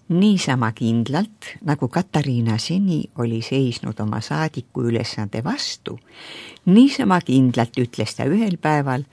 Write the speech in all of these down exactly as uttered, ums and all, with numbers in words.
Niisama kindlalt, nagu Katariina seni oli seisnud oma saadiku ülesande vastu, niisama kindlalt ütles ta ühel päeval,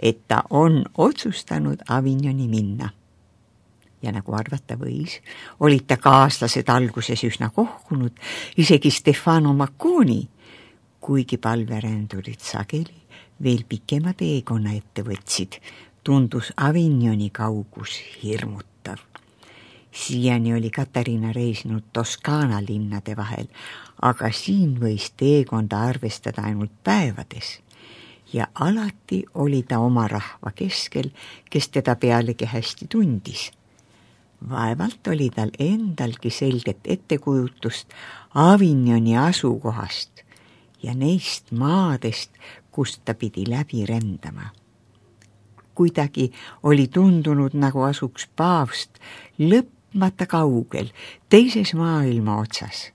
et ta on otsustanud Avignoni minna. Ja nagu arvata võis, olid ta kaaslased alguses üsna kohkunud, isegi Stefano Macconi, kuigi palverändurid sageli veel pikema teekonna ette võtsid, tundus Avignoni kaugus hirmutav. Siiani oli Katariina reisinud Toskaana linnade vahel, aga siin võis teekonda arvestada ainult päevades. Ja alati oli ta oma rahva keskel, kes teda pealegi hästi tundis. Vaevalt oli tal endalgi selget ettekujutust Avignoni asukohast ja neist maadest, kust ta pidi läbi rändama. Kuidagi oli tundunud, nagu asuks paavst lõpmata kaugel, teises maailma otsas,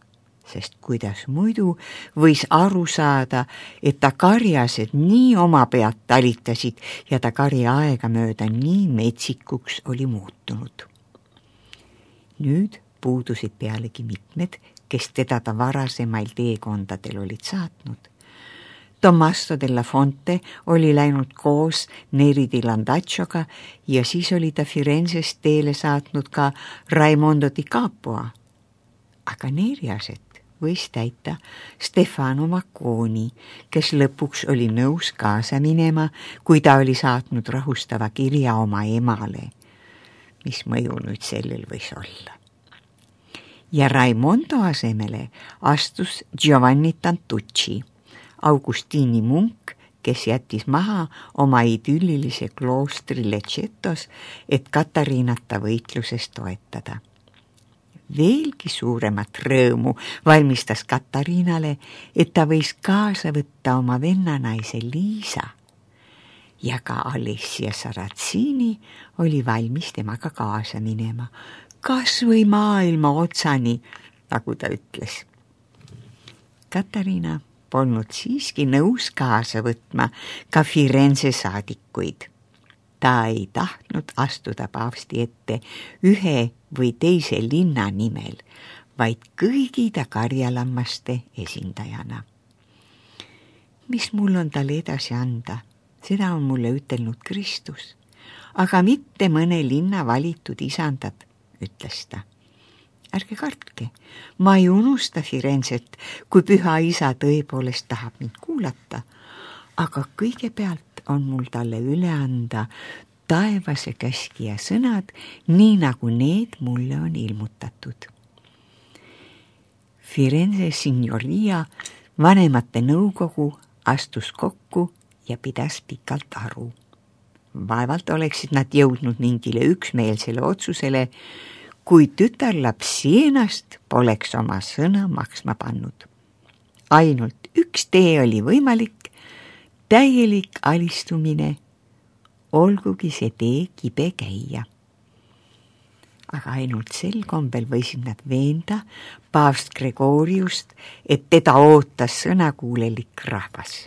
sest kuidas muidu võis aru saada, et ta karjased nii oma pead talitasid ja ta karja aega mööda nii metsikuks oli muutunud. Nüüd puudusid pealegi mitmed, kes teda ta varasemail teekondadel olid saatnud. Tommaso della Fonte oli läinud koos Neri di Landacioga ja siis oli ta Firenzest teele saatnud ka Raimondo di Capua. Aga Neriaset võis täita Stefano Macconi, kes lõpuks oli nõus kaasa minema, kui ta oli saatnud rahustava kirja oma emale. Mis mõju nüüd sellel võis olla. Ja Raimondo asemele astus Giovanni Tantucci, Augustini munk, kes jättis maha oma idüllilise kloostri Leccetos, et Katariinata võitluses toetada. Veelgi suuremat rõõmu valmistas Katariinale, et ta võis kaasa võtta oma vennanaise Liisa. Ja ka Alessia Sarazzini oli valmis temaga kaasa minema, kas või maailma otsani, nagu ta ütles. Katariina polnud siiski nõus kaasa võtma ka Firenze saadikuid. Ta ei tahtnud astuda paavsti ette ühe või teise linna nimel, vaid kõigi ta karjalammaste esindajana. Mis mul on talle edasi anda? Seda on mulle ütelnud Kristus, aga mitte mõne linna valitud isandad, ütles ta. Ärge kartke, ma ei unusta Firenzet, kui püha isa tõepoolest tahab mind kuulata, aga kõigepealt on mul talle üle anda taevase käskija sõnad, nii nagu need mulle on ilmutatud. Firenze signoria vanemate nõukogu astus kokku ja pidas pikalt aru. Vaevalt oleksid nad jõudnud mingile üksmeelsele otsusele, kui tütarlaps Sienast poleks oma sõna maksma pannud. Ainult üks tee oli võimalik, täielik alistumine, olgugi see tee kibe käia. Aga ainult sel kombel võisid nad veenda paavst Gregoriust, et teda ootas sõnakuulelik rahvas.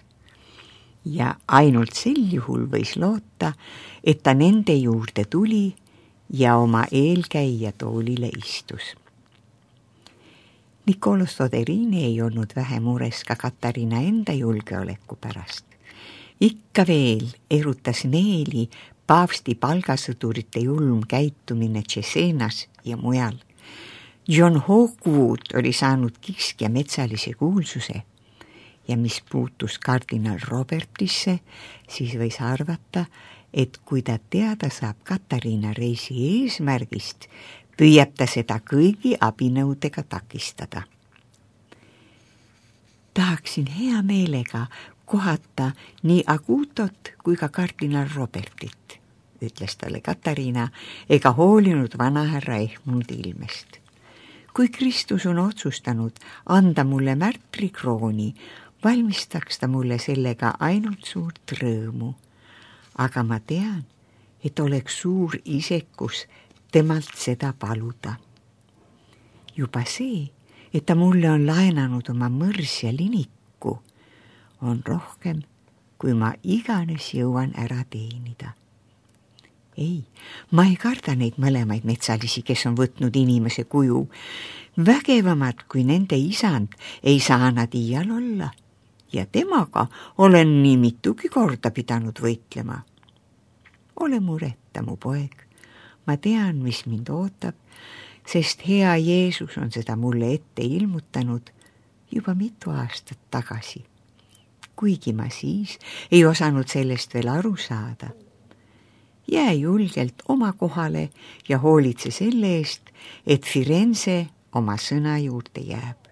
Ja ainult sel juhul võis loota, et ta nende juurde tuli ja oma eelkäija toolile istus. Niccolo Soderini ei olnud vähe mures ka Katariina enda julgeoleku pärast. Ikka veel erutas neeli paavsti palgasõdurite julm käitumine Cesenas ja mujal. John Hawkwood oli saanud kiskja metsalise kuulsuse ja mis puutus kardinal Robertisse, siis võis arvata, et kui ta teada saab Katariina reisi eesmärgist, püüab ta seda kõigi abinõudega takistada. Tahaksin hea meelega kohata nii Agutot kui ka kardinal Robertit, ütles talle Katariina, ega hoolinud vanahärra ehmunud ilmest. Kui Kristus on otsustanud anda mulle märtrikrooni, valmistaks ta mulle sellega ainult suurt rõõmu. Aga ma tean, et oleks suur isekus temalt seda paluda. Juba see, et ta mulle on laenanud oma mõrs ja liniku, on rohkem, kui ma iganes jõuan ära teenida. ei, ma ei karda neid mõlemaid metsalisi, kes on võtnud inimese kuju. Vägevamad kui nende isand ei saa nad iial olla ja temaga olen nii mitugi korda pidanud võitlema. Ole mureta, mu poeg, ma tean, mis mind ootab, sest hea Jeesus on seda mulle ette ilmutanud juba mitu aastat tagasi, kuigi ma siis ei osanud sellest veel aru saada. Jää julgelt oma kohale ja hoolitse selle eest, et Firenze oma sõna juurde jääb.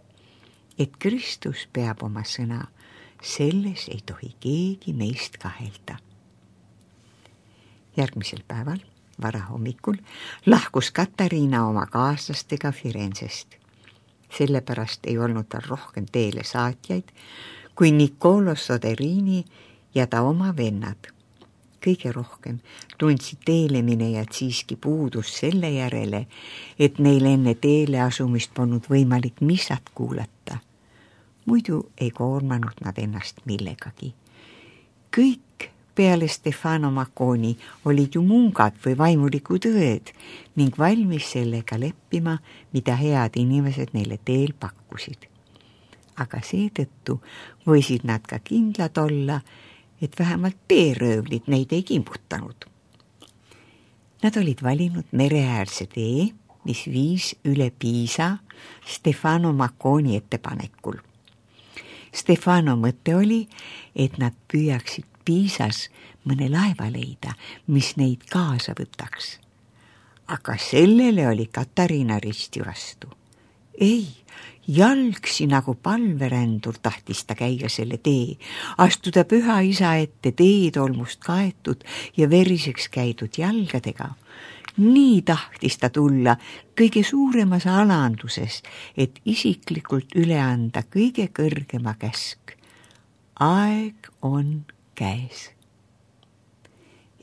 Et Kristus peab oma sõna, selles ei tohi keegi meist kahelda. Järgmisel päeval, varahommikul, lahkus Katariina oma kaaslastega Firenzest. Sellepärast ei olnud tal rohkem teele saatjaid kui Niccolo Soderini ja ta oma vennad. Kõige rohkem tundsid teeleminejad siiski puudus selle järele, et neil enne teele asumist polnud võimalik missat kuulata. Muidu ei koormanud nad ennast millegagi. Kõik peale Stefano Macconi olid ju mungad või vaimulikud õed ning valmis sellega leppima, mida head inimesed neile teel pakkusid. Aga seetõttu võisid nad ka kindlad olla, et vähemalt teeröövlid neid ei kimbutanud. Nad olid valinud mereäärse tee, mis viis üle Piisa Stefano Macconi ettepanekul. Stefano mõte oli, et nad püüaksid Piisas mõne laeva leida, mis neid kaasa võtaks. Aga sellele oli Katariina risti vastu. Ei, jalgsi nagu palverändur tahtis ta käia selle tee, astuda püha isa ette teetolmust kaetud ja veriseks käidud jalgadega. Nii tahtis ta tulla kõige suuremas alanduses, et isiklikult üle anda kõige kõrgema käsk. Aeg on käes.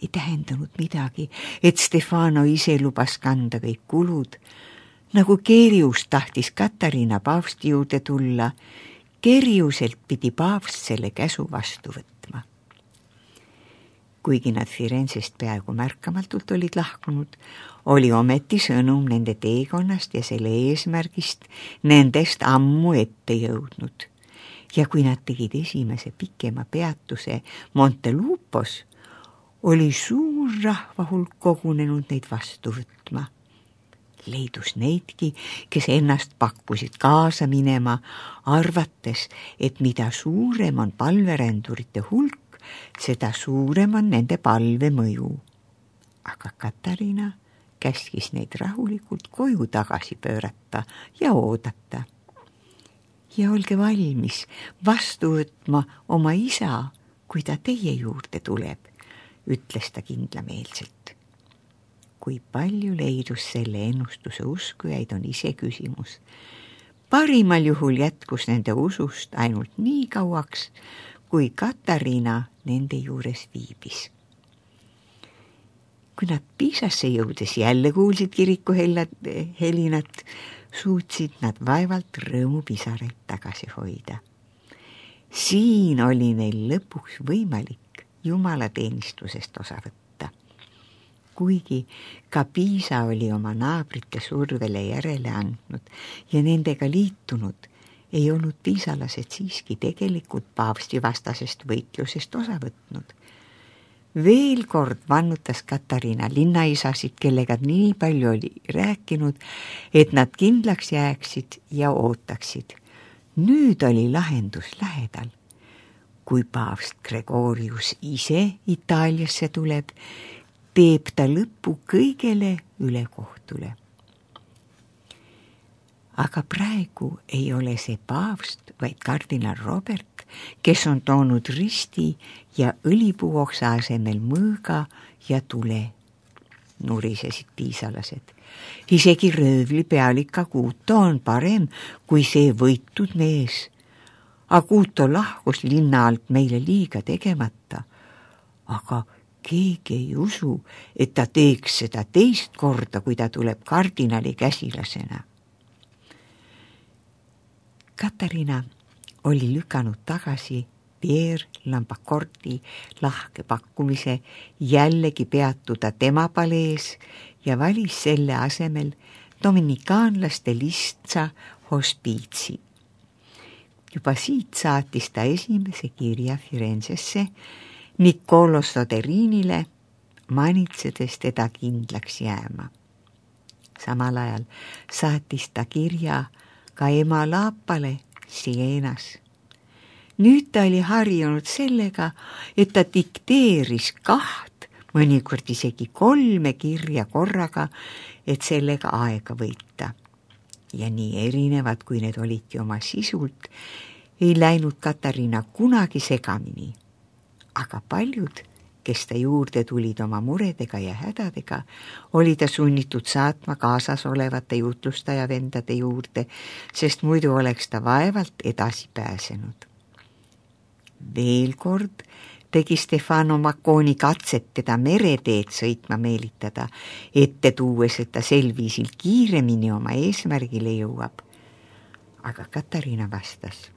Ei tähendanud midagi, et Stefano ise lubas kanda kõik kulud. Nagu Kerjus tahtis Katariina paavsti juurde tulla, Kerjuselt pidi paavst selle käsu vastu võtma. Kuigi nad Firenzest peaaegu märkamatult olid lahkunud, oli ometi sõnum nende teekonnast ja selle eesmärgist nendest ammu ette jõudnud. Ja kui nad tegid esimese pikema peatuse Montelupos, oli suur rahvahulk kogunenud neid vastu võtma. Leidus neidki, kes ennast pakkusid kaasa minema, arvates, et mida suurem on palverändurite hulk, seda suurem on nende palve mõju. Aga Katariina käskis neid rahulikult koju tagasi pöörata ja oodata. Ja olge valmis vastu võtma oma isa, kui ta teie juurde tuleb, ütles ta kindlameelselt. Kui palju leidus selle ennustuse uskujaid on ise küsimus. Parimal juhul jätkus nende usust ainult nii kauaks, kui Katariina nende juures viibis. Kui nad Piisasse jõudes jälle kuulsid kiriku helinat, suutsid nad vaevalt rõõmupisaraid tagasi hoida. Siin oli neil lõpuks võimalik jumalateenistusest osa võtta. Kuigi ka Piisa oli oma naabrite survele järele andnud ja nendega liitunud, ei olnud piisalased siiski tegelikult paavsti vastasest võitlusest osa võtnud. Veel kord vannutas Katariina linnaisasid, kellega nii palju oli rääkinud, et nad kindlaks jääksid ja ootaksid. Nüüd oli lahendus lähedal. Kui paavst Gregorius ise Itaaliasse tuleb, teeb ta lõppu kõigele ülekohtule. Aga praegu ei ole see paavst, vaid kardinal Robert, kes on toonud risti ja õlipuuoksa asemel mõõga ja tule, nurisesid piisalased. Isegi röövli pealik Aguto on parem kui see võitud mees. Aguto lahkus linna alt meile liiga tegemata, aga keegi ei usu, et ta teeks seda teist korda, kui ta tuleb kardinali käsilasena. Katariina oli lükanud tagasi Pierre Lambacorti lahke pakkumise jällegi peatuda tema palees ja valis selle asemel dominikaanlaste lihtsa hospiitsi. Juba siit saatis ta esimese kirja Firenzesse Niccolo Soderinile, manitsedes teda kindlaks jääma. Samal ajal saatis ta kirja ka ema Laapale Sienas. Nüüd ta oli harjunud sellega, et ta dikteeris kaht, mõnikord isegi kolme kirja korraga, et sellega aega võita. Ja nii erinevad, kui need olidki oma sisult, ei läinud Katariina kunagi segamini. Aga paljud, kes ta juurde tulid oma muredega ja hädadega, oli ta sunnitud saatma kaasas olevate jutlustaja vendade juurde, sest muidu oleks ta vaevalt edasi pääsenud. Veel kord tegi Stefano Macconi katset teda mereteed sõitma meelitada, ette tuues, et ta sel viisil kiiremini oma eesmärgile jõuab. Aga Katariina vastas: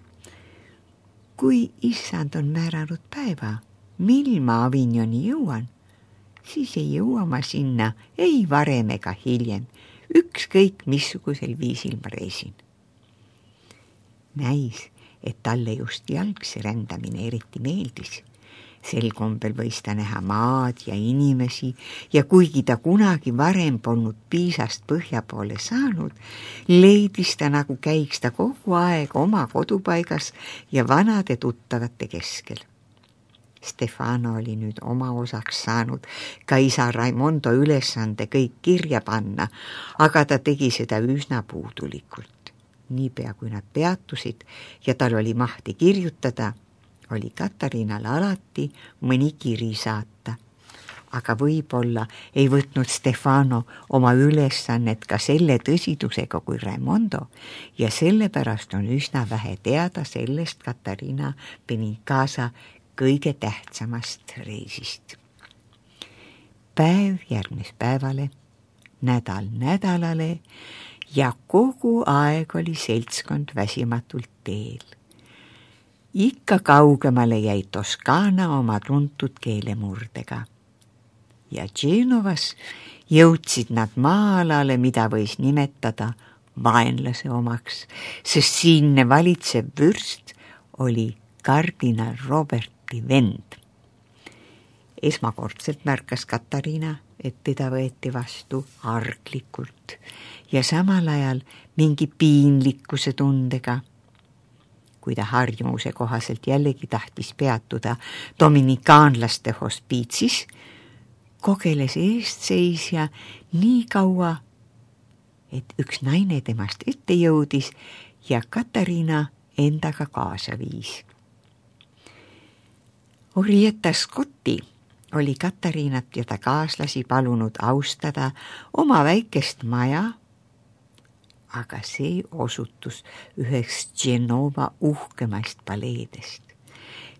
kui issand on määranud päeva, mil ma Avignoni jõuan, siis ei jõua ma sinna ei varem ega hiljem, ükskõik missugusel viisil ma reisin. Näis, et talle just jalgsi rändamine eriti meeldis. Sel kombel võis ta näha maad ja inimesi ja kuigi ta kunagi varem polnud Piisast põhja poole saanud, leidis ta, nagu käiks ta kogu aeg oma kodupaigas ja vanade tuttavate keskel. Stefano oli nüüd oma osaks saanud ka isa Raimondo ülesande kõik kirja panna, aga ta tegi seda üsna puudulikult. Niipea kui nad peatusid ja tal oli mahti kirjutada, oli Katariinal alati mõni kiri saata. Aga võib-olla ei võtnud Stefano oma ülesannet ka selle tõsidusega kui Raimondo ja sellepärast on üsna vähe teada sellest Katariina Benincasa kõige tähtsamast reisist. Päev järgnes päevale, nädal nädalale ja kogu aeg oli seltskond väsimatult teel. Ikka kaugemale jäi Toskaana oma tuntud keelemurdega. Ja Genovas jõudsid nad maa-alale, mida võis nimetada vaenlase omaks, sest siinne valitsev vürst oli kardinal Roberti vend. Esmakordselt märkas Katariina, et teda võeti vastu arglikult ja samal ajal mingi piinlikkuse tundega. Kui ta harjumuse kohaselt jällegi tahtis peatuda dominikaanlaste hospiitsis, kogeles eestseisja nii kaua, et üks naine temast ette jõudis ja Katariina endaga kaasa viis. Orietta Scotti oli Katariinat ja ta kaaslasi palunud austada oma väikest maja, aga see osutus üheks Genova uhkemast paleedest.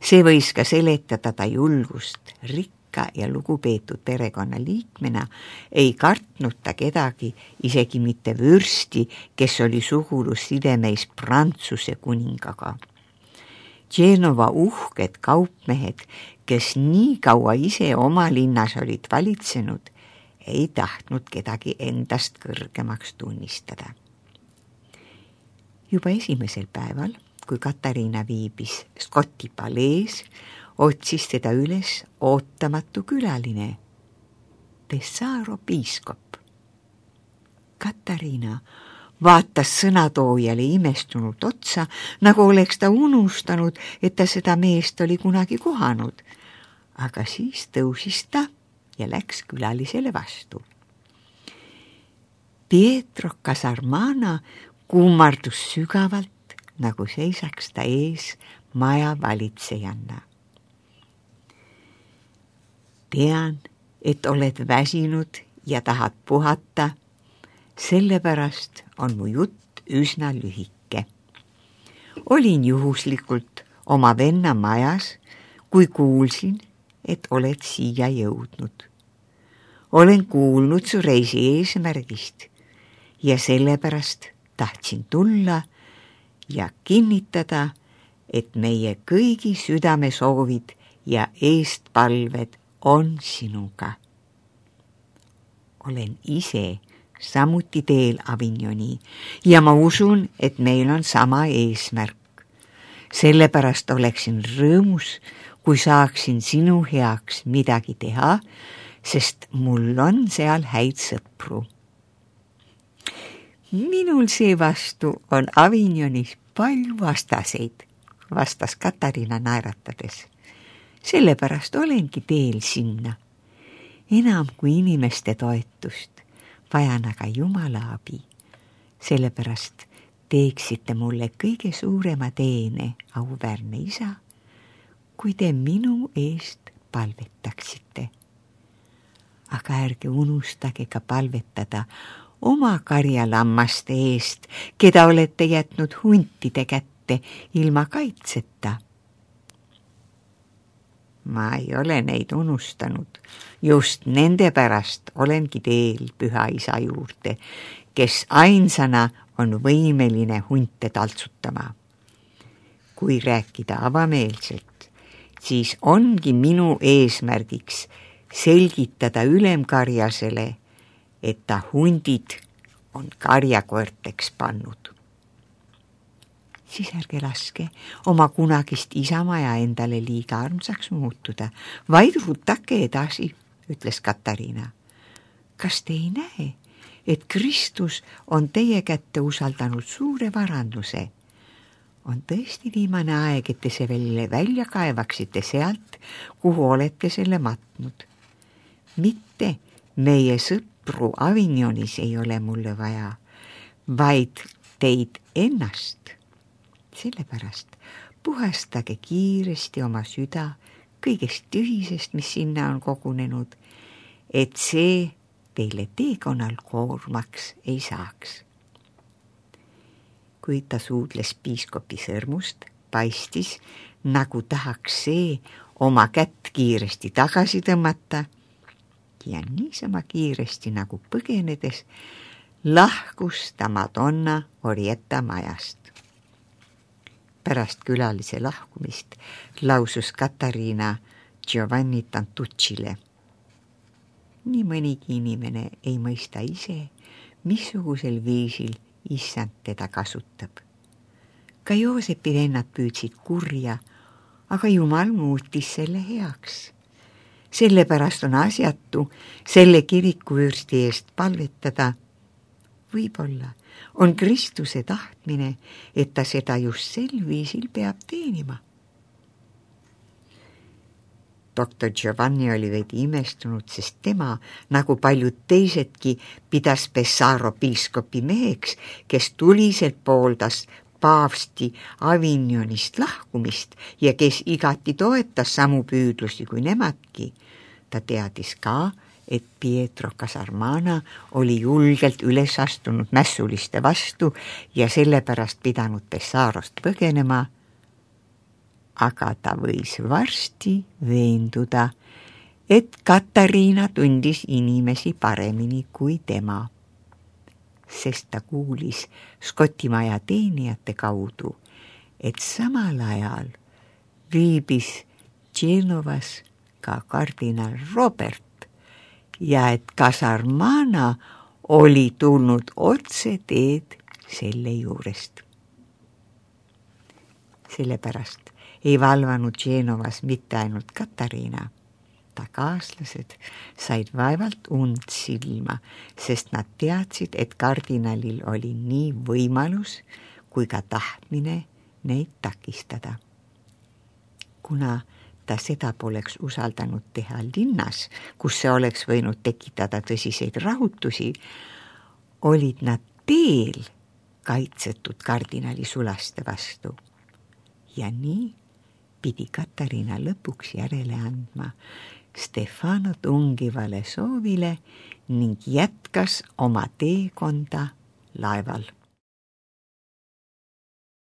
See võis ka seletada ta julgust, rikka ja lugupeetud perekonna liikmena ei kartnud ta kedagi, isegi mitte vürsti, kes oli sugulus sidemeis Prantsuse kuningaga. Genova uhked kaupmehed, kes nii kaua ise oma linnas olid valitsenud, ei tahtnud kedagi endast kõrgemaks tunnistada. Juba esimesel päeval, kui Katariina viibis Scotti palees, otsis teda üles ootamatu külaline, Pesaro piiskop. Katariina vaatas sõnatoojale imestunult otsa, nagu oleks ta unustanud, et ta seda meest oli kunagi kohanud. Aga siis tõusis ta ja läks külalisele vastu. Pietro Casarmana kummardus sügavalt, nagu seisaks ta ees maja valitsejanna. Tean, et oled väsinud ja tahad puhata, sellepärast on mu jutt üsna lühike. Olin juhuslikult oma venna majas, kui kuulsin, et oled siia jõudnud. Olen kuulnud su reisi eesmärgist ja sellepärast tahtsin tulla ja kinnitada, et meie kõigi südamesoovid ja eestpalved on sinuga. Olen ise samuti teel Avignoni ja ma usun, et meil on sama eesmärk. Sellepärast oleksin rõõmus, kui saaksin sinu heaks midagi teha, sest mul on seal häid sõpru. Minul seevastu on Avignonis palju vastaseid, vastas Katariina naeratades. Sellepärast olengi teel sinna. Enam kui inimeste toetust, vajan aga Jumala abi. Sellepärast teeksite mulle kõige suurema teene, auväärne isa, kui te minu eest palvetaksite. Aga ärge unustage ka palvetada oma karjalammaste eest, keda olete jätnud huntide kätte ilma kaitseta. Ma ei ole neid unustanud. Just nende pärast olengi teel Püha Isa juurde, kes ainsana on võimeline hunte taltsutama. Kui rääkida avameelselt, siis ongi minu eesmärgiks selgitada ülemkarjasele, et ta hundid on karjakoerteks pannud. Siis ärge laske oma kunagist isamaja endale liiga armsaks muutuda, vaid rutake edasi, ütles Katariina. Kas te ei näe, et Kristus on teie kätte usaldanud suure varanduse? On tõesti viimane aeg, et te see veel välja kaevaksite sealt, kuhu olete selle matnud. Mitte meie sõpru Avignonis ei ole mulle vaja, vaid teid ennast. Sellepärast puhastage kiiresti oma süda kõigest tühisest, mis sinna on kogunenud, et see teile teekonnal koormaks ei saaks. Kui ta suudles piiskopi sõrmust, paistis, nagu tahaks see oma kätt kiiresti tagasi tõmmata ja niisama kiiresti nagu põgenedes lahkus ta Madonna Orietta majast. Pärast külalise lahkumist lausus Katariina Giovanni Tantuccile. Nii mõnigi inimene ei mõista ise, missugusel viisil issand teda kasutab. Ka Joosepi vennad püüdsid kurja, aga Jumal muutis selle heaks. Sellepärast on asjatu selle kirikuvürsti eest palvetada. Võib-olla on Kristuse tahtmine, et ta seda just sel viisil peab teenima. Doktor Giovanni oli veidi imestunud, sest tema, nagu paljud teisedki, pidas Pesaro piiskopi meheks, kes tuliselt pooldas paavsti Avignonist lahkumist ja kes igati toetas samu püüdlusi kui nemadki. Ta teadis ka, et Pietro Casarmana oli julgelt üles astunud mässuliste vastu ja sellepärast pidanud Pessarost põgenema, aga ta võis varsti veenduda, et Katariina tundis inimesi paremini kui tema, sest ta kuulis Skotimaja teenijate kaudu, et samal ajal viibis Genovas ka kardinal Robert ja et Casarmana oli tulnud otse teed selle juurest. Sellepärast ei valvanud Genovas mitte ainult Katariina. Ta kaaslased said vaevalt und silma, sest nad teadsid, et kardinalil oli nii võimalus kui ka tahtmine neid takistada. Kuna ta seda poleks usaldanud teha linnas, kus see oleks võinud tekitada tõsiseid rahutusi, olid nad teel kaitsetud kardinali sulaste vastu. Ja nii pidi Katariina lõpuks järele andma Stefano tungivale soovile ning jätkas oma teekonda laeval.